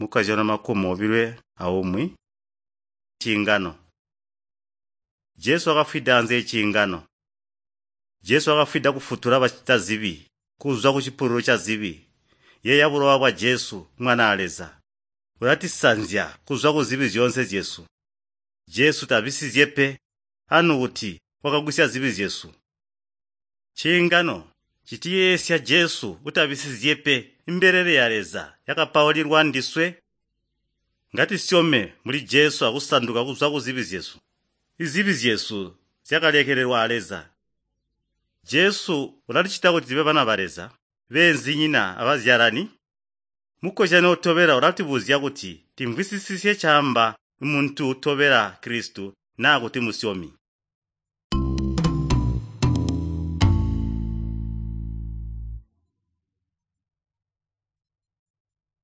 Mukazyana 21 Ciingano. Jesu wakafwida anze eciingano. Jesu wakafwida kufutula bacitazibi kuzwa kucipululu cazibi. Yeeya bulowa bwa Jesu, Mwanaa Leza. Bulatisanzya kuzwa kuzibi zyoonse zyesu. Jesu tabisizye pe, anu kuti wakagwisya zibi zyesu. Ciingano citiyeesya Jesu utabisizye pe imbelele ya Leza yakapaulilwa ndiswe. Ngatisyome muli Jesu akusanduka kuzwa kuzibi zyesu. Izibi zyesu zyakalekelelwa a Leza. Jesu ulatucita kuti tube bana ba Leza, beenzinyina abazyalani. Mukozyano utobela ulatubuzya kuti timvwisisisye caamba muntu utobela Kristu naa kuti musyomi.